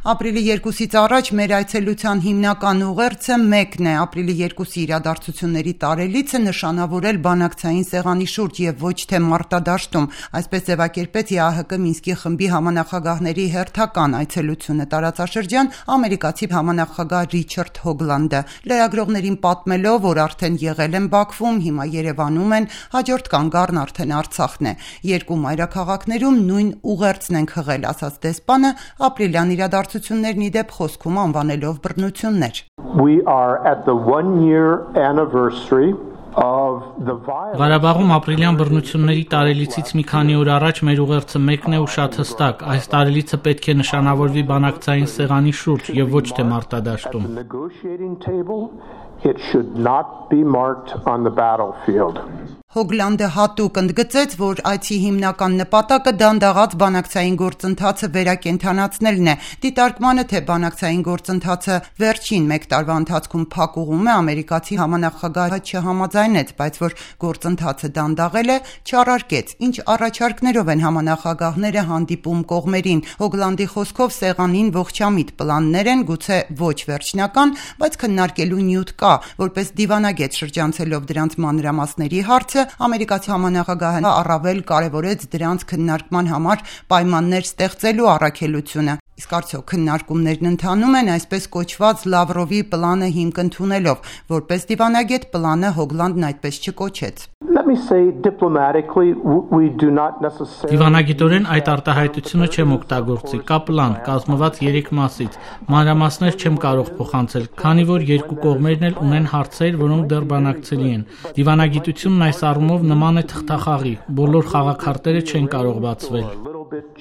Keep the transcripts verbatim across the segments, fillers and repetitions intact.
Ապրիլի երկուսից առաջ մեր այցելության հիմնական ուղերձը մեկն է՝ ապրիլի երկուսի իրադարձությունների տարելիցը նշանավորել բանակցային սեղանի շուրջ եւ ոչ թե մարտադաշտում, այսպես ձևակերպեց ի ահ կը Մինսկի խմբի համանախագահների հերթական այցելությունը տարածաշրջան ամերիկացի համանախագահ Ռիչարդ Հոգլանդը, լրագրողներին պատմելով, որ արդեն եղել են Բաքվում, հիմա Երևանում են, հաջորդ կանգառն արդեն Արցախն է։ Երկու մայրաքաղաքներում նույն ուղերձն ենք հղել, ասաց դեսպանը, ապրիլյան իրադարձություններն ի դեպ խոսքում անվանելով բռնություններ։ We are at the one year anniversary of the violence. Ղարաբաղում ապրիլյան բռնությունների տարելիցից մի քանի օր առաջ մեր ուղերձը մեկն է ու շատ հստակ։ Այս տարելիցը պետք է նշանավորվի բանակցային սեղանի շուրջ եւ ոչ թե մարտադաշտում։ It should not be marked on the battlefield. Հոգլանդը հատուկ ընդգծեց, որ այցի հիմնական նպատակը դանդաղած բանակցային գործընթացը վերակենդանացնելն է։ Դիտարկմանը, թե բանակցային գործընթացը վերջին մեկ տարվա ընթացքում փակուղում է, ամերիկացի համանախագահը չհամաձայնեց, բայց որ գործընթացը դանդաղել է, չառարկեց։ Ինչ առաջարկներով են համանախագահները հանդիպում կողմերին։ Հոգլանդի խոսքով սեղանին ողջամիտ պլաններ են, գուցե ոչ վերջնական, բայց քննարկելու նյութ կա, որպես դիվանագետ շրջանցելով դրանց մանրամասների հարցը ամերիկացի համանախագահը առավել կարևորեց դրանց քննարկման համար պայմաններ ստեղծելու առաքելությունը։ Իսկ արդյոք քննարկումներն ընթանում են այսպես կոչված Լավրովի պլանը հիմք ընդունելով, որպես դիվանագետ պլանը Հոգլանդն այդպես չկոչեց։ Let me say diplomatically we do not necessarily Դիվանագիտորեն այդ արտահայտությունը չեմ օգտագործի, կա պլան, կազմված երեք մասից։ Մանրամասներ չեմ կարող փոխանցել, քանի որ երկու կողմերն էլ ունեն հարցեր, որոնք դեռ բանակցելի են։ Դիվանագիտությունն այս առումով նման է թղթախաղի, բոլոր խաղաքարտերը չեն կարող բացվել։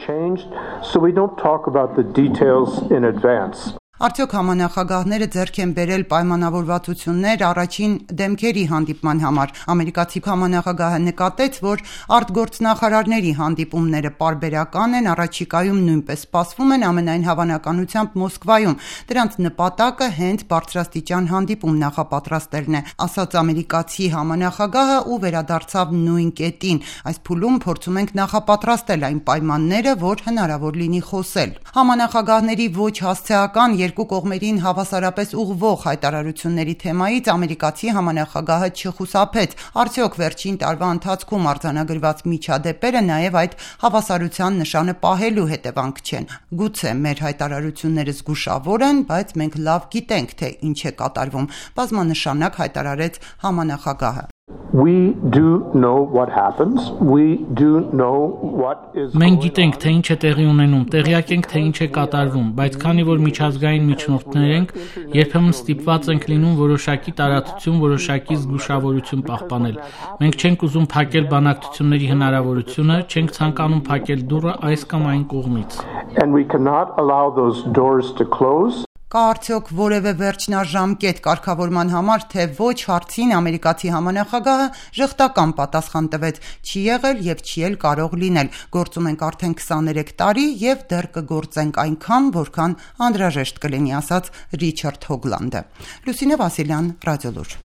changed, so we don't talk about the details in advance. Արդյոք համանախագահները ձեռք են բերել պայմանավորվածություններ առաջին դեմքերի հանդիպման համար։ Ամերիկացի համանախագահը նկատեց, որ արտգործնախարարների հանդիպումները պարբերական են, առաջիկայում նույնպես սպասվում են ամենայն հավանականությամբ Մոսկվայում։ Դրանց նպատակը հենց բարձրաստիճան հանդիպում նախապատրաստելն է, ասաց ամերիկացի համանախագահը ու վերադարձավ նույն կետին։ Այս փուլում փորձում ենք նախապատրաստել այն պայմանները, որ հնարավոր լինի խոսել։ Համանախագահների ոչ հասցեական երկու կողմերին հավասարապես ուղղվող հայտարարությունների թեմայից ամերիկացի համանախագահը չխուսափեց։ Արդյոք վերջին տարվա ընթացքում արձանագրված միջադեպերը նաև այդ հավասարության նշանը պահելու հետևանք չեն։ Գուցե մեր հայտարարությունները զգուշավոր են, բայց մենք լավ գիտենք, թե ինչ է կատարվում, բազմանշանակ հայտարարեց համանախագահը։ We do know what happens. We do know what is Մենք գիտենք, թե ինչ է տեղի ունենում, տեղյակ ենք, թե ինչ է կատարվում, բայց քանի որ միջազգային միջնորդներ ենք, երբեմն ստիպված ենք լինում որոշակի տարածություն, որոշակի զգուշավորություն պահպանել։ Մենք չենք ուզում փակել բանակցությունների հնարավորությունը, չենք ցանկանում փակել դուռը այս կամ այն կողմից։ And we cannot allow those doors to close. Կա արդյոք որևէ վերջնաժամկետ կարգավորման համար, թե ոչ հարցին ամերիկացի համանախագահը ժխտական պատասխան տվեց, չի եղել եւ չի էլ կարող լինել։ Գործում ենք արդեն քսաներեք տարի եւ դեռ կգործենք այնքան, որքան անհրաժեշտ կլինի, ասաց Ռիչարդ Հոգլանդը։ Լուսինե Վասիլյան, Ռադիոլուր։